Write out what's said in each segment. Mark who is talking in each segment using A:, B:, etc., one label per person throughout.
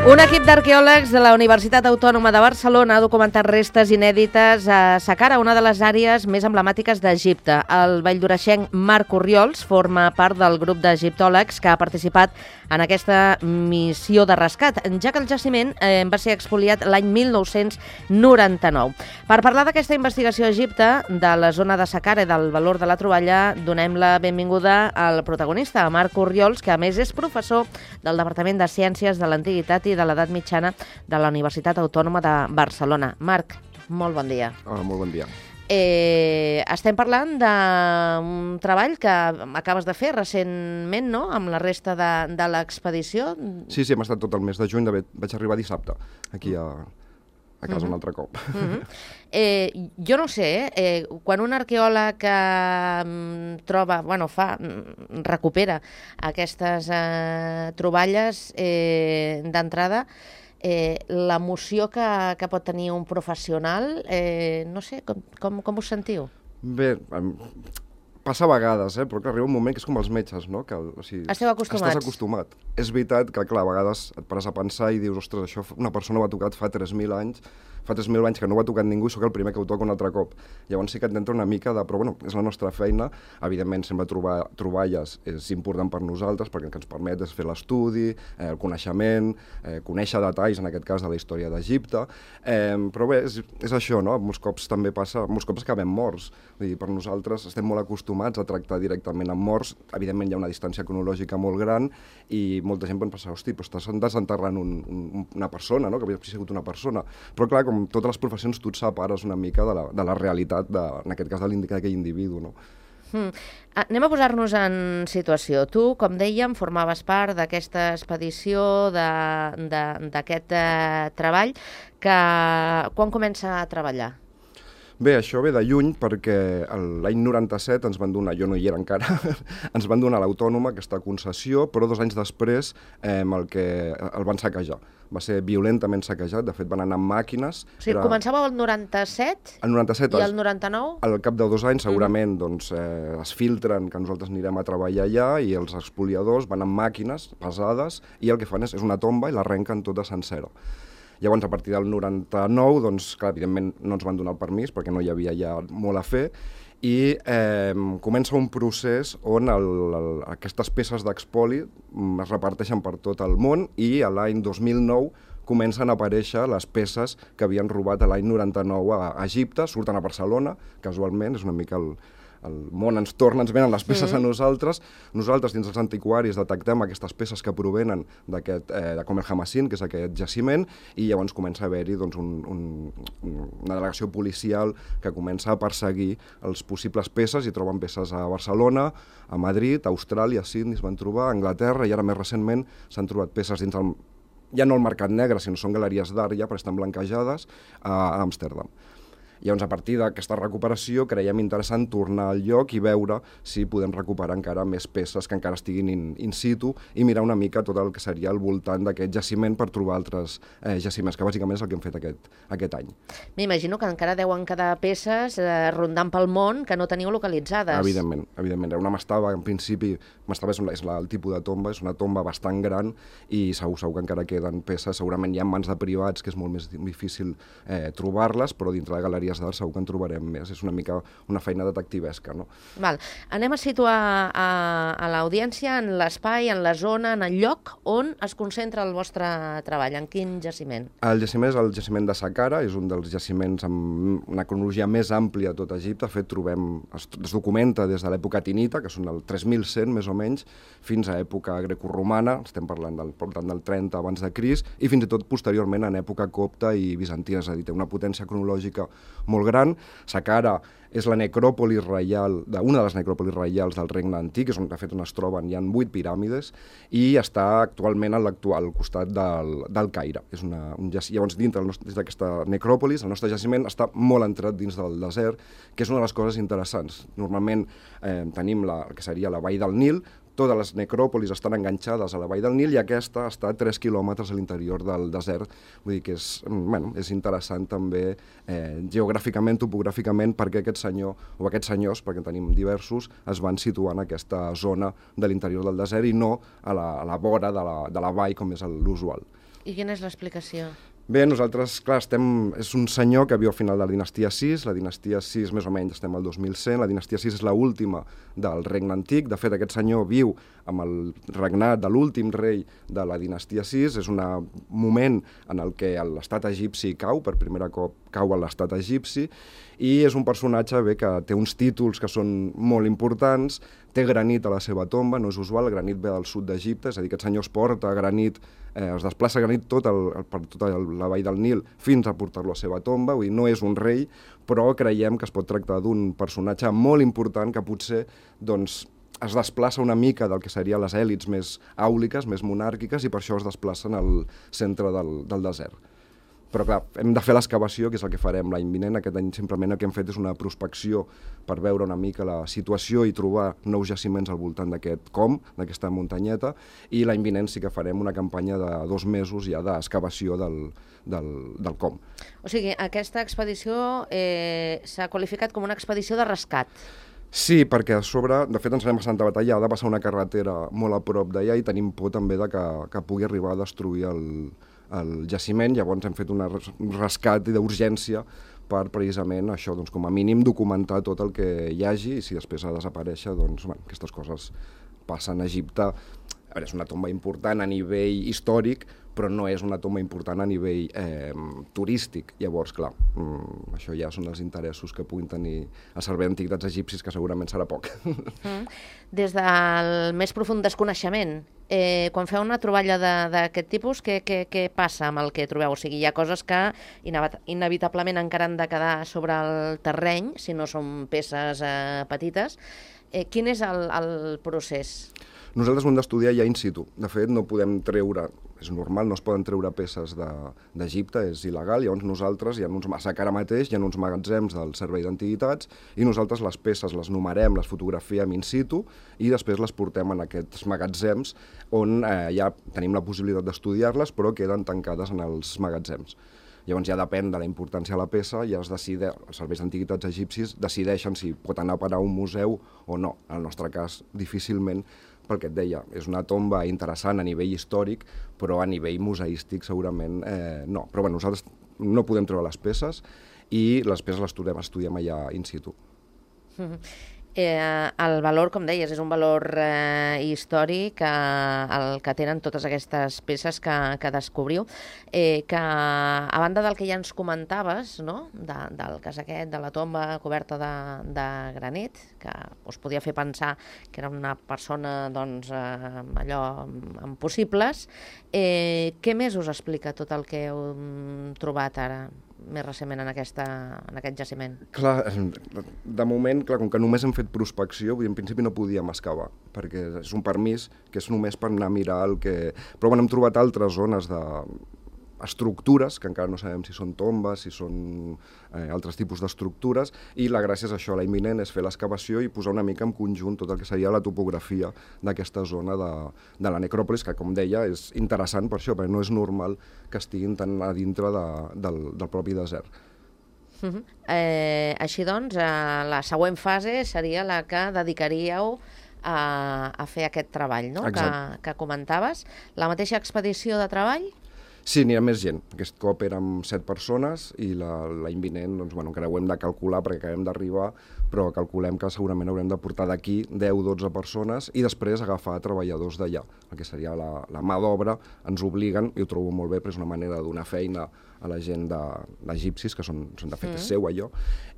A: Un equip d'arqueòlegs de la Universitat Autònoma de Barcelona ha documentat restes inèdites a Saqqara, una de les àrees més emblemàtiques d'Egipte. El valldoreixenc Marc Orriols forma part del grup d'egiptòlegs que ha participat en aquesta missió de rescat, ja que el jaciment va ser expoliat l'any 1999. Per parlar d'aquesta investigació a Egipte, de la zona de Saqqara i del valor de la troballa, donem la benvinguda al protagonista, Marc Orriols, que a més és professor del Departament de Ciències de l'Antiguitat i de l'Edat Mitjana de la Universitat Autònoma de Barcelona. Marc, molt bon dia.
B: Hola, molt bon dia.
A: Estem parlant d'un treball que acabes de fer recentment, no?, amb la resta de l'expedició.
B: Sí, hem estat tot el mes de juny, vaig arribar dissabte, aquí a casa un altre cop.
A: Jo no sé, quan un arqueòleg troba, recupera aquestes troballes d'entrada, l'emoció que pot tenir un professional, no sé, com us sentiu?
B: Bé, passa a vegades, però que arriba un moment que és com els metges, no?
A: Esteu acostumats.
B: Estàs acostumat. És veritat que, clar, a vegades et pares a pensar i dius, ostres, això una persona ho ha tocat fa 3.000 anys, que no ho ha tocat ningú i sóc el primer que ho toca un altre cop. Llavors sí que et entra una mica de... Però bueno, és la nostra feina. Evidentment, sempre trobar troballes és important per nosaltres perquè el que ens permet és fer l'estudi, el coneixement, conèixer detalls, en aquest cas, de la història d'Egipte. Però bé, és això, no? Molts cops també passa... Molts cops acabem morts. Vull dir, per nosaltres estem molt acostumats a tractar directament amb morts. Evidentment, hi ha una distància cronològica molt gran i molta gent pot pensar, hosti, però estàs desenterrant una persona, no? Que havia sigut una persona. Però clar, com totes les professions, tu et separes una mica de la realitat, en aquest cas, d'aquell individu, no?
A: Anem a posar-nos en situació. Tu, com dèiem, formaves part d'aquesta expedició, d'aquest treball, que quan comença a treballar?
B: Bé, això ve de lluny perquè l'any 97 ens van donar, jo no hi era encara, ens van donar l'Autònoma, aquesta concessió, però 2 anys després el van saquejar. Va ser violentament saquejat, de fet van anar amb màquines.
A: O sigui, començava el 97?
B: El 97.
A: I el 99?
B: Al cap de 2 anys segurament es filtren que nosaltres anirem a treballar allà i els expoliadors van amb màquines pesades i el que fan és una tomba i l'arrenquen tota sencera. Llavors, a partir del 99, doncs, clar, evidentment no ens van donar el permís perquè no hi havia ja molt a fer i comença un procés on aquestes peces d'expoli es reparteixen per tot el món i l'any 2009 comencen a aparèixer les peces que havien robat l'any 99 a Egipte, surten a Barcelona, casualment, és una mica el món ens venen les peces a nosaltres. Nosaltres, dins els antiquaris, detectem aquestes peces que provenen de Com el Hamassin, que és aquest jaciment, i llavors comença a haver-hi una delegació policial que comença a perseguir els possibles peces i troben peces a Barcelona, a Madrid, a Austràlia, a Sydney es van trobar, a Anglaterra, i ara més recentment s'han trobat peces dins ja no el mercat negre, sinó són galeries d'art ja, però estan blanquejades a Amsterdam. Llavors, a partir d'aquesta recuperació, creiem interessant tornar al lloc i veure si podem recuperar encara més peces que encara estiguin in situ i mirar una mica tot el que seria al voltant d'aquest jaciment per trobar altres jaciments, que bàsicament és el que hem fet aquest any.
A: M'imagino que encara deuen quedar peces rondant pel món que no teniu localitzades.
B: Evidentment. Era una mastaba, en principi, mastaba és el tipus de tomba, és una tomba bastant gran i segur que encara queden peces, segurament hi ha mans de privats que és molt més difícil trobar-les, però dintre de galeries d'art segur que en trobarem més. És una mica una feina detectivesca, no?
A: Val. Anem a situar a l'audiència en l'espai, en la zona, en el lloc on es concentra el vostre treball. En quin jaciment?
B: El jaciment és el jaciment de Saqqara, és un dels jaciments amb una cronologia més àmplia a tot Egipte. De fet, es documenta des de l'època tinita, que són el 3100 més o menys, fins a època grecorromana, estem parlant del 30 abans de Crist, i fins i tot posteriorment en època copta i bizantina, és a dir, té una potència cronològica molt gran. Saqqara és la necròpolis reial, una de les necròpolis reials del Regne Antic, és on de fet on es troben, hi ha 8 piràmides, i està actualment al costat del Caire. Llavors, dins d'aquesta necròpolis, el nostre jaciment està molt entrat dins del desert, que és una de les coses interessants. Normalment tenim el que seria la vall del Nil, totes les necròpolis estan enganxades a la vall del Nil i aquesta està a 3 quilòmetres a l'interior del desert. Vull dir que és interessant també geogràficament, topogràficament, perquè aquest senyor, o aquests senyors, perquè en tenim diversos, es van situar en aquesta zona de l'interior del desert i no a la vora de la vall, com és l'usual.
A: I quina és l'explicació?
B: Bé, nosaltres, clar, és un senyor que viu al final de la dinastia 6, la dinastia 6 més o menys estem al 2100, la dinastia 6 és l'última del regne antic, de fet aquest senyor viu amb el regnat de l'últim rei de la dinastia 6, és un moment en el que l'estat egipci cau, per primer cop cau a l'estat egipci, i és un personatge que té uns títols que són molt importants, té granit a la seva tomba, no és usual, el granit ve del sud d'Egipte, és a dir, aquest senyor es porta granit, es desplaça granit per tota la vall del Nil fins a portar-lo a la seva tomba, vull dir, no és un rei, però creiem que es pot tractar d'un personatge molt important que potser es desplaça una mica del que serien les èlits més àuliques, més monàrquiques, i per això es desplacen al centre del desert. Però clar, hem de fer l'excavació, que és el que farem l'any vinent. Aquest any simplement el que hem fet és una prospecció per veure una mica la situació i trobar nous jaciments al voltant d'aquest com, d'aquesta muntanyeta, i l'any vinent sí que farem una campanya de 2 mesos ja d'excavació del com.
A: O sigui, aquesta expedició s'ha qualificat com una expedició de rescat.
B: Sí, perquè a sobre, de fet ens anem a Santa Batalla, ha de passar una carretera molt a prop d'allà i tenim por també que pugui arribar a destruir el jaciment, llavors hem fet un rescat d'urgència per precisament això, com a mínim documentar tot el que hi hagi, i si després ha de desaparèixer, aquestes coses passen a Egipte. A veure, és una tomba important a nivell històric, però no és una tomba important a nivell turístic. Llavors, clar, això ja són els interessos que puguin tenir el Servei d'Antiguitats Egipcis, que segurament serà poc.
A: Des del més profund desconeixement, quan feu una troballa d'aquest tipus, què passa amb el que trobeu? O sigui, hi ha coses que inevitablement encara han de quedar sobre el terreny, si no són peces petites. Quin és el procés?
B: Nosaltres ho hem d'estudiar ja in situ. De fet, no podem treure, és normal, no es poden treure peces d'Egipte, és il·legal, llavors nosaltres, ara mateix hi ha uns magatzems del Servei d'Antiguitats i nosaltres les peces les numerem, les fotografiem in situ i després les portem en aquests magatzems on ja tenim la possibilitat d'estudiar-les, però queden tancades en els magatzems. Llavors ja depèn de la importància de la peça, ja els serveis d'antiguitats egipcis decideixen si pot anar a parar a un museu o no. En el nostre cas, difícilment, perquè et deia, és una tomba interessant a nivell històric, però a nivell museístic segurament no. Però bé, nosaltres no podem treure les peces i les peces les estudiem allà in situ.
A: El valor, com deies, és un valor històric el que tenen totes aquestes peces que descobriu, que a banda del que ja ens comentaves, no? Del cas aquest, de la tomba coberta de granit, que us podia fer pensar que era una persona allò amb possibles, què més us explica tot el que heu trobat ara, més recentment en aquest jaciment?
B: Clar, de moment, com que només hem fet prospecció, en principi no podíem excavar, perquè és un permís que és només per anar a mirar el que... Però hem trobat altres zones d'estructures, que encara no sabem si són tombes, si són altres tipus d'estructures, i la gràcia és això, la imminent és fer l'excavació i posar una mica en conjunt tot el que seria la topografia d'aquesta zona de la necròpolis, que, com deia, és interessant per això, perquè no és normal que estiguin tan a dintre del propi desert.
A: Així doncs, la següent fase seria la que dedicaríeu a fer aquest treball, no? Que comentaves. La mateixa expedició de treball?
B: Sí, n'hi ha més gent. Aquest cop érem 7 persones i l'any vinent encara ho hem de calcular perquè acabem d'arribar, però calculem que segurament haurem de portar d'aquí 10-12 persones i després agafar treballadors d'allà. El que seria la mà d'obra, ens obliguen, i ho trobo molt bé, però és una manera de donar feina a la gent d'egipcis, que són de fet és seu allò,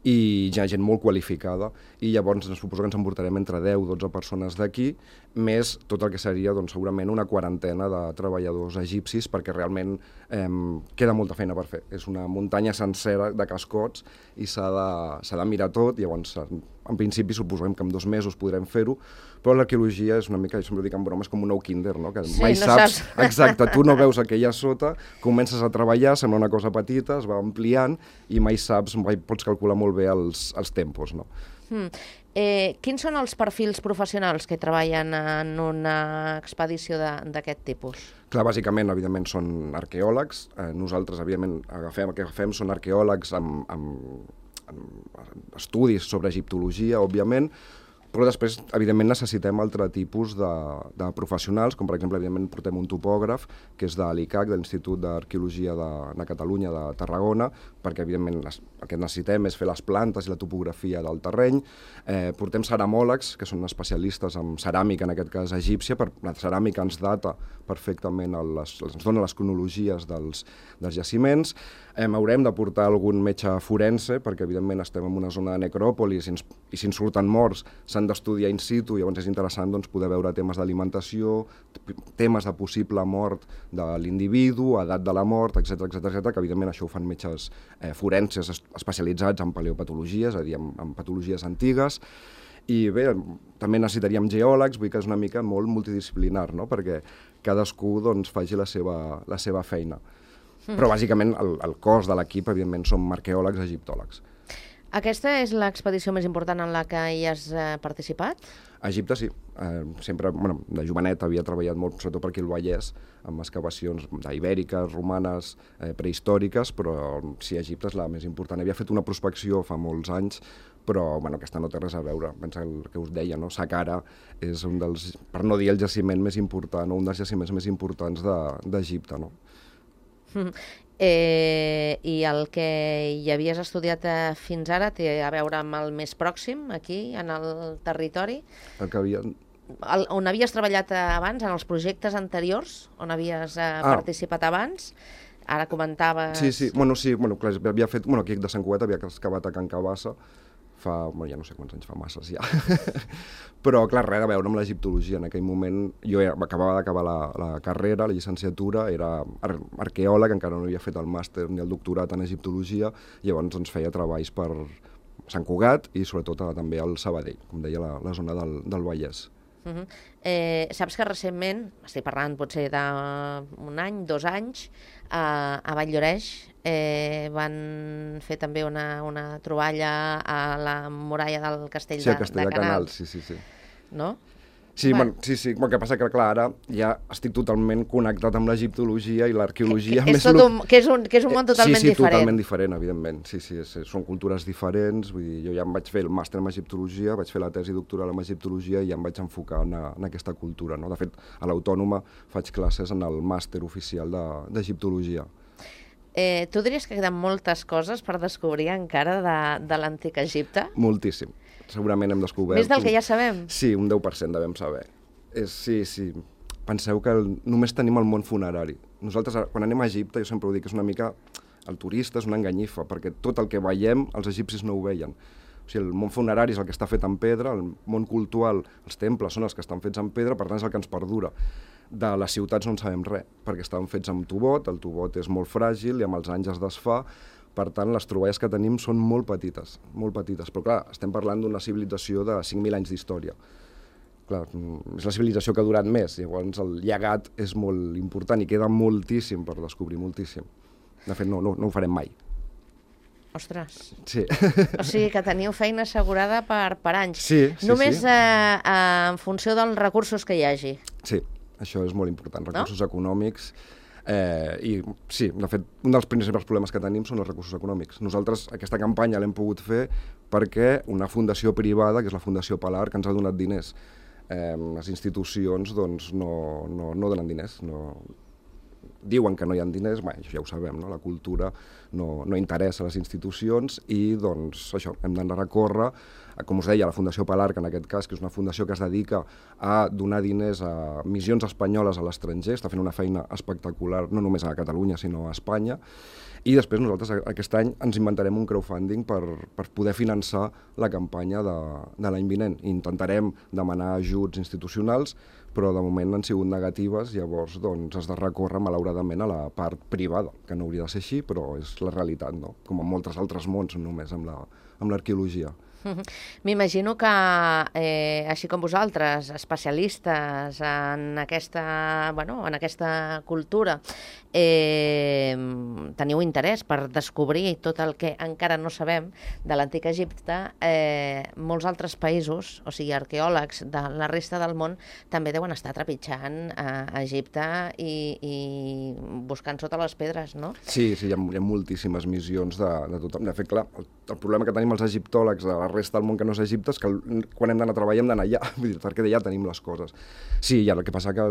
B: i hi ha gent molt qualificada, i llavors suposo que ens emportarem entre 10-12 persones d'aquí, més tot el que seria segurament una quarantena de treballadors egipcis, perquè realment queda molta feina per fer. És una muntanya sencera de cascots i s'ha de mirar tot, llavors en principi suposem que en 2 mesos podrem fer-ho, però l'arqueologia és una mica, jo sempre dic en broma, és com un nou kinder, no? Que mai saps. Exacte, tu no veus el que hi ha sota, comences a treballar, sembla una cosa petita, es va ampliant i mai saps, mai pots calcular molt bé els tempos, no?
A: Quins són els perfils professionals que treballen en una expedició d'aquest tipus?
B: Clar, bàsicament, evidentment, són arqueòlegs. Nosaltres, evidentment, el que agafem són arqueòlegs amb estudis sobre egiptologia, òbviament, però després, evidentment, necessitem altre tipus de professionals, com per exemple, evidentment, portem un topògraf, que és de l'ICAC, de l'Institut d'Arqueologia de Catalunya, de Tarragona, perquè, evidentment, el que necessitem és fer les plantes i la topografia del terreny. Portem ceramòlegs, que són especialistes en ceràmica, en aquest cas egípcia, la ceràmica ens data perfectament, ens dona les cronologies dels jaciments. Haurem de portar algun metge forense, perquè, evidentment, estem en una zona de necròpolis i si ens surten morts s'han d'estudiar in situ, llavors és interessant poder veure temes d'alimentació, temes de possible mort de l'individu, edat de la mort, etc, que evidentment això ho fan metges forenses especialitzats en paleopatologia, és a dir, en patologies antigues. I bé, també necessitaríem geòlegs, vull dir que és una mica molt multidisciplinar, no? Perquè cadascú faci la seva feina. Però bàsicament el cos de l'equip, evidentment, som arqueòlegs, egiptòlegs.
A: Aquesta és l'expedició més important en la que hi has participat?
B: A Egipte sí. Sempre, de jovenet havia treballat molt, sobretot per aquí al Vallès, amb excavacions ibèriques, romanes, prehistòriques, però sí, Egipte és la més important. Havia fet una prospecció fa molts anys, però aquesta no té res a veure. Pensa el que us deia, no? Saqqara és un dels, per no dir el jaciment més important, o un dels jaciments més importants d'Egipte, no?
A: I el que hi havies estudiat fins ara té a veure amb el més pròxim, aquí, en el territori?
B: El que havia...
A: On havies treballat abans, en els projectes anteriors, on havies participat abans? Ara comentaves...
B: Sí, clar, havia fet... Aquí de Sant Cugat havia excavat a Can Cabassa, ja no sé quants anys fa, masses ja. Però, clar, res a veure amb l'egiptologia. En aquell moment jo acabava d'acabar la carrera, la llicenciatura, era arqueòleg, encara no havia fet el màster ni el doctorat en egiptologia, llavors feia treballs per Sant Cugat i sobretot també al Sabadell, com deia, la zona del Vallès.
A: Saps que recentment, estic parlant potser d'un any, 2 anys, a Vall-lloreix van fer també una troballa a la muralla del castell de Canals.
B: Sí, el castell de Canals, sí.
A: No?
B: Sí, sí, el que passa que, clar, ara ja estic totalment connectat amb l'egiptologia i l'arqueologia.
A: Que és un món totalment diferent.
B: Sí, totalment diferent, evidentment. Sí, són cultures diferents. Vull dir, jo ja em vaig fer el màster en egiptologia, vaig fer la tesi doctoral en egiptologia i ja em vaig enfocar en aquesta cultura, no? De fet, a l'Autònoma faig classes en el màster oficial d'egiptologia.
A: Tu diries que queden moltes coses per descobrir encara de l'antic Egipte?
B: Moltíssim. Segurament hem descobert...
A: Més del que ja sabem?
B: Sí, un 10% devem saber. Sí. Penseu que només tenim el món funerari. Nosaltres, quan anem a Egipte, jo sempre ho dic, és una mica... El turista és una enganyifa, perquè tot el que veiem, els egipcis no ho veien. O sigui, el món funerari és el que està fet en pedra, el món cultural, els temples són els que estan fets en pedra, per tant és el que ens perdura. De les ciutats no en sabem res, perquè estaven fets amb tubot, el tubot és molt fràgil i amb els anys es desfà. Per tant, les troballes que tenim són molt petites, però clar, estem parlant d'una civilització de 5.000 anys d'història. Clar, és la civilització que ha durat més, llavors el llegat és molt important i queda moltíssim per descobrir, moltíssim. De fet, no ho farem mai.
A: Ostres.
B: Sí.
A: O sigui que teniu feina assegurada per anys.
B: Sí.
A: Només en funció dels recursos que hi hagi.
B: Sí, això és molt important, recursos econòmics. I sí, de fet, un dels principals problemes que tenim són els recursos econòmics. Nosaltres aquesta campanya l'hem pogut fer perquè una fundació privada, que és la Fundació Palar, que ens ha donat diners. Les institucions no donen diners, diuen que no hi ha diners, això ja ho sabem, no? La cultura no interessa a les institucions i això, hem d'anar a recórrer, com us deia, la Fundació Palar, que en aquest cas, que és una fundació que es dedica a donar diners a missions espanyoles a l'estranger, està fent una feina espectacular, no només a Catalunya, sinó a Espanya, i després nosaltres aquest any ens inventarem un crowdfunding per poder finançar la campanya de l'any vinent. Intentarem demanar ajuts institucionals, però de moment han sigut negatives, llavors has de recórrer malauradament a la part privada, que no hauria de ser així, però és la realitat, no? Com en molts altres mons, no només amb l'arqueologia.
A: M'imagino que, així com vosaltres, especialistes en aquesta cultura, teniu interès per descobrir tot el que encara no sabem de l'antic Egipte, molts altres països, o sigui, arqueòlegs de la resta del món, també deuen estar trepitjant a Egipte i buscant sota les pedres, no?
B: Sí, hi ha moltíssimes missions de tothom. De fet, clar, el problema que tenim els egiptòlegs de la resta del món que no és Egipte és que quan hem d'anar a treballar hem d'anar allà, vull dir, perquè d'allà tenim les coses. Sí, el que passa que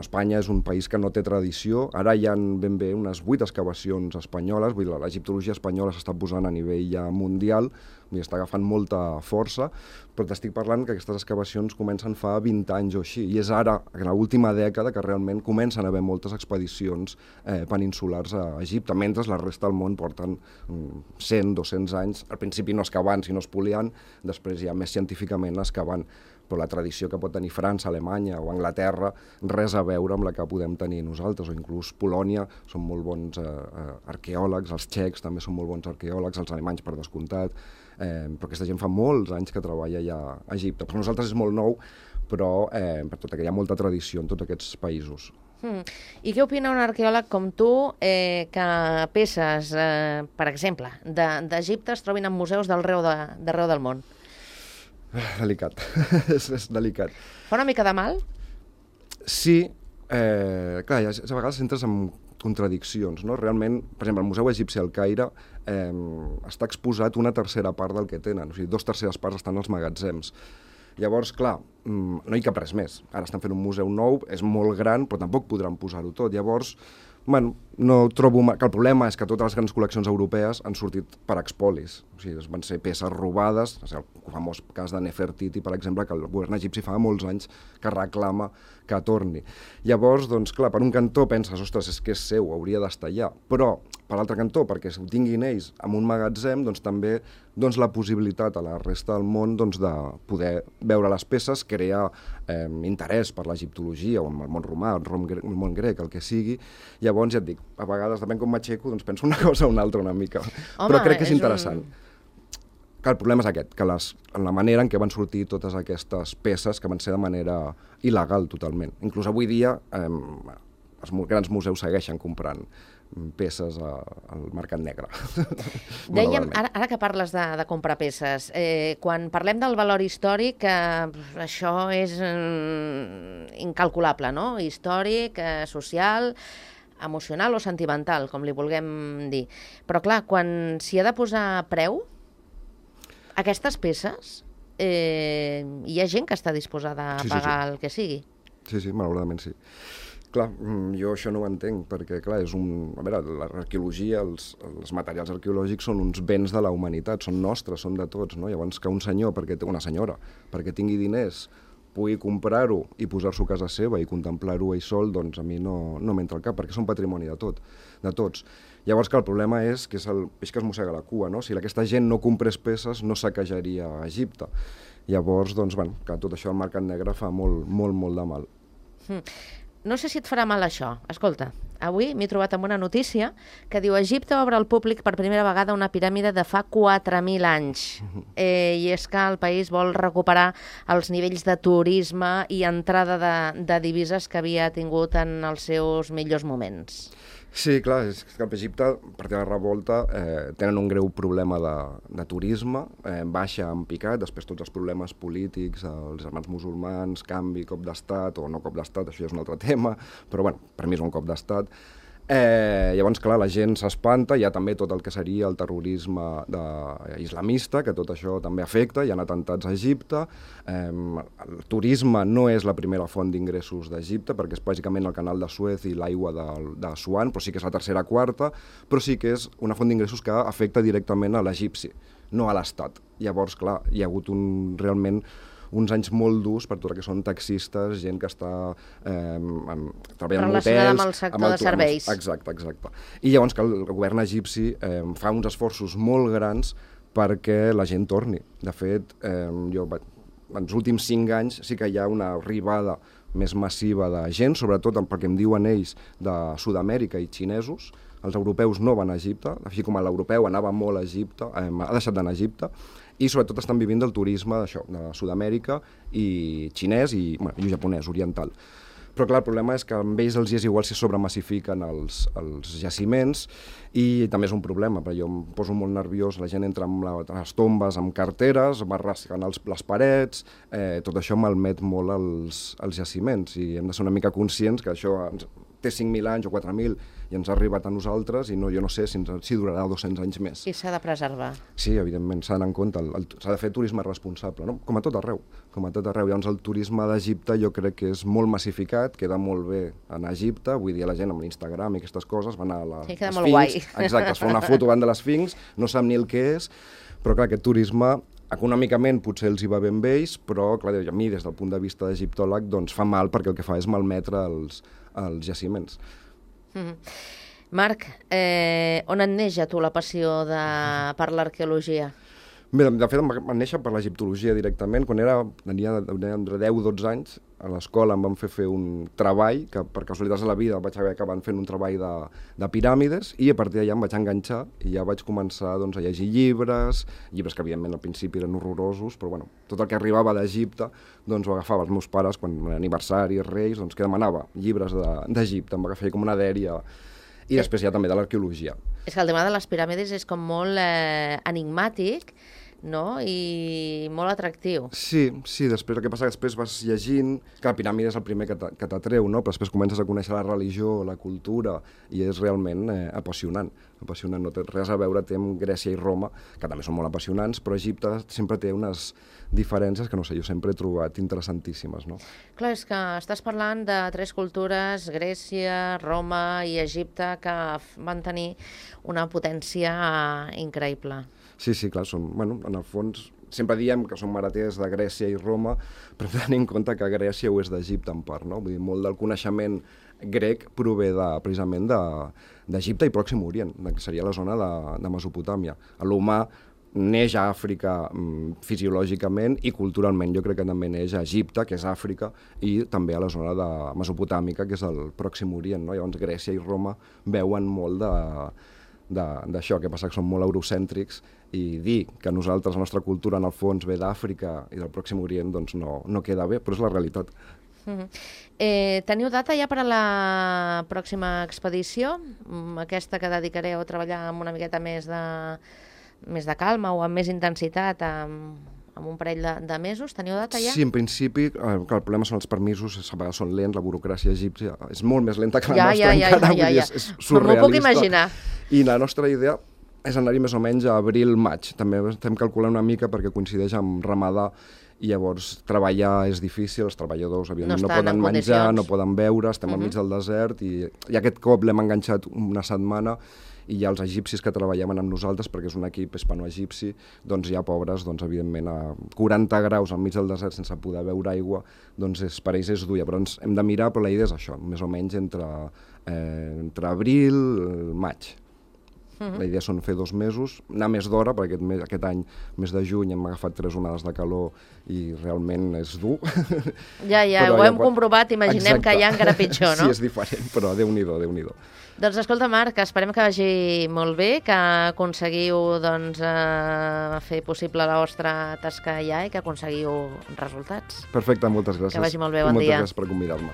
B: Espanya és un país que no té tradició, ara hi ha ben bé unes 8 excavacions espanyoles, vull dir, l'egiptologia espanyola s'està posant a nivell ja mundial, i està agafant molta força, però t'estic parlant que aquestes excavacions comencen fa 20 anys o així, i és ara, en l'última dècada, que realment comencen a haver moltes expedicions peninsulars a Egipte, mentre la resta del món porten 100, 200 anys, al principi no excavant, sinó espoliant, després ja més científicament excavant, però la tradició que pot tenir França, Alemanya o Anglaterra, res a veure amb la que podem tenir nosaltres, o inclús Polònia, són molt bons arqueòlegs, els txecs també són molt bons arqueòlegs, els alemanys per descomptat, però aquesta gent fa molts anys que treballa ja a Egipte. Per nosaltres és molt nou, però per tot que hi ha molta tradició en tots aquests països.
A: I què opina un arqueòleg com tu que peces, per exemple, d'Egipte es trobin en museus d'arreu del món?
B: Delicat, és delicat.
A: Fa una mica de mal?
B: Sí, clar, a vegades entres en contradiccions, no? Realment, per exemple, el Museu Egipci al Caire està exposat una tercera part del que tenen, o sigui, 2/3 parts estan als magatzems. Llavors, clar, no hi cap res més. Ara estan fent un museu nou, és molt gran, però tampoc podran posar-ho tot. Llavors, bueno, no trobo que el problema és que totes les grans col·leccions europees han sortit per expolis. O sigui, van ser peces robades, el famós cas de Nefertiti, per exemple, que el govern egipci fa molts anys que reclama que torni. Llavors, doncs, clar, per un cantó penses, ostres, és que és seu, hauria d'estar allà. Però, per l'altre cantó, perquè ho tinguin ells en un magatzem, doncs també la possibilitat a la resta del món de poder veure les peces, crear interès per l'egiptologia o el món romà, el món grec, el que sigui. Llavors, ja et dic, a vegades, depèn com m'aixeco, doncs penso una cosa o una altra una mica.
A: Home,
B: però crec que és interessant. Que el problema és aquest, que en la manera en què van sortir totes aquestes peces, que van ser de manera il·legal totalment. Inclús avui dia els grans museus segueixen comprant peces al mercat negre.
A: Dèiem, ara que parles de comprar peces, quan parlem del valor històric, això és incalculable, no? Històric, social, emocional o sentimental, com li vulguem dir. Però clar, quan s'hi ha de posar preu, aquestes peces, hi ha gent que està disposada a pagar el que sigui.
B: Sí, malauradament sí. Clar, jo això no ho entenc, perquè clar, a veure, l'arqueologia, els materials arqueològics són uns béns de la humanitat, són nostres, són de tots, no? Llavors que un senyor, una senyora, perquè tingui diners, pugui comprar-ho i posar-s'ho a casa seva i contemplar-ho ell sol, doncs a mi no m'entra al cap, perquè són patrimoni de tots. Llavors que el problema és que és el peix que es mossega la cua, no? Si aquesta gent no comprés peces, no saquejaria a Egipte. Llavors, doncs, que tot això al mercat negre fa molt, molt, molt de mal.
A: No sé si et farà mal això. Escolta, avui m'he trobat amb una notícia que diu Egipte obre al públic per primera vegada una piràmide de fa 4.000 anys. I és que el país vol recuperar els nivells de turisme i entrada de divises que havia tingut en els seus millors moments.
B: Sí, clar, és que Egipte, a partir de la revolta, tenen un greu problema de turisme, baixa en picat, després tots els problemes polítics, els germans musulmans, canvi, cop d'estat, o no cop d'estat, això ja és un altre tema, però bueno, per mi és un cop d'estat. Llavors, clar, la gent s'espanta, hi ha també tot el que seria el terrorisme islamista, que tot això també afecta, hi ha atemptats a Egipte, el turisme no és la primera font d'ingressos d'Egipte, perquè és bàsicament el canal de Suez i l'aigua d'Assuan, però sí que és la tercera, quarta, però sí que és una font d'ingressos que afecta directament a l'egipci, no a l'estat. Llavors, clar, hi ha hagut realment uns anys molt durs per tot el que són taxistes, gent que està treballant en hotels...
A: Relacionada amb el sector de serveis.
B: Exacte. I llavors que el govern egipci fa uns esforços molt grans perquè la gent torni. De fet, jo en els últims 5 anys sí que hi ha una arribada més massiva de gent, sobretot perquè em diuen ells de Sud-amèrica i xinesos. Els europeus no van a Egipte, així com l'europeu anava molt a Egipte, ha deixat d'anar a Egipte, i sobretot estan vivint del turisme d'això, de Sud-amèrica i xinès i japonès, oriental. Però clar, el problema és que amb ells els és igual si sobremassifiquen els jaciments i també és un problema, perquè jo em poso molt nerviós, la gent entra amb les tombes, amb carteres, va rascant les parets, tot això malmet molt els jaciments i hem de ser una mica conscients que això té 5.000 anys o 4.000 i ens ha arribat a nosaltres i jo no sé si durarà 200 anys més.
A: I s'ha de preservar.
B: Sí, evidentment, s'ha d'anar en compte, s'ha de fer turisme responsable, no? Com a tot arreu. Llavors el turisme d'Egipte jo crec que és molt massificat, queda molt bé anar a Egipte, avui dia la gent amb l'Instagram i aquestes coses van a
A: sí, queda molt guai.
B: Exacte, es fa una foto davant de l'Esfinx, no sap ni el que és, però clar, aquest turisme econòmicament potser els hi va ben bé ells, però clar, a mi des del punt de vista d'egiptòleg doncs fa mal perquè el que fa és malmetre els jaciments.
A: Marc, on et neix a tu la passió per l'arqueologia?
B: Bé, de fet, em va néixer per l'egiptologia directament. Quan tenia entre 10 o 12 anys, a l'escola em van fer un treball, que per casualitats de la vida vaig haver acabat fent un treball de piràmides, i a partir d'allà em vaig enganxar i ja vaig començar a llegir llibres que evidentment al principi eren horrorosos, però bueno, tot el que arribava d'Egipte ho agafava els meus pares quan aniversaris, reis, que demanava llibres d'Egipte, em va agafar com una dèria. I després ja també de l'arqueologia. És
A: que el tema de les piràmides és com molt enigmàtic, no? I molt atractiu.
B: Sí, després el que passa que després vas llegint, que la piràmide és el primer que t'atreu, no? Però després comences a conèixer la religió, la cultura, i és realment apassionant. No té res a veure amb Grècia i Roma, que també són molt apassionants, però Egipte sempre té unes diferències que, no sé, jo sempre he trobat interessantíssimes, no?
A: Clar, és que estàs parlant de 3 cultures, Grècia, Roma i Egipte, que van tenir una potència increïble.
B: Sí, clar, en el fons, sempre diem que som hereters de Grècia i Roma, però tenim en compte que Grècia ho és d'Egipte en part, no? Vull dir, molt del coneixement grec prové precisament d'Egipte i Pròxim Orient, que seria la zona de Mesopotàmia. L'humà neix a Àfrica fisiològicament i culturalment. Jo crec que també neix a Egipte, que és Àfrica, i també a la zona mesopotàmica, que és el Pròxim Orient, no? Llavors Grècia i Roma veuen molt d'això, que passa que són molt eurocèntrics, i dir que nosaltres, la nostra cultura en el fons ve d'Àfrica i del Pròxim Orient, doncs no queda bé, però és la realitat.
A: Teniu data ja per a la pròxima expedició? Aquesta que dedicareu a treballar amb una miqueta més de calma o amb més intensitat, amb un parell de mesos? Teniu data ja?
B: Sí, en principi, el problema són els permisos, a vegades són lents, la burocràcia egípcia és molt més lenta que la nostra encara, és surrealista.
A: M'ho puc imaginar.
B: I la nostra idea és anar-hi més o menys a abril-maig. També estem calculant una mica perquè coincideix amb Ramadà i llavors treballar és difícil, els treballadors evidentment no poden menjar, no poden beure, estem enmig del desert i aquest cop l'hem enganxat una setmana i ja els egipcis que treballaven amb nosaltres, perquè és un equip hispano-egipci, doncs ja pobres, evidentment, a 40 graus enmig del desert sense poder beure aigua, doncs per ells és dur. Llavors hem de mirar, però la idea és això, més o menys entre abril i maig. La idea són fer 2 mesos, anar més d'hora, perquè aquest any, mes de juny, hem agafat 3 onades de calor i realment és dur.
A: Ja, ho hem comprovat, imaginem que ja encara pitjor, no?
B: Sí, és diferent, però Déu-n'hi-do, Déu-n'hi-do.
A: Doncs escolta, Marc, esperem que vagi molt bé, que aconseguiu fer possible la vostra tasca allà i que aconseguiu resultats.
B: Perfecte, moltes gràcies.
A: Que vagi molt bé, bon dia.
B: Moltes gràcies per convidar-me.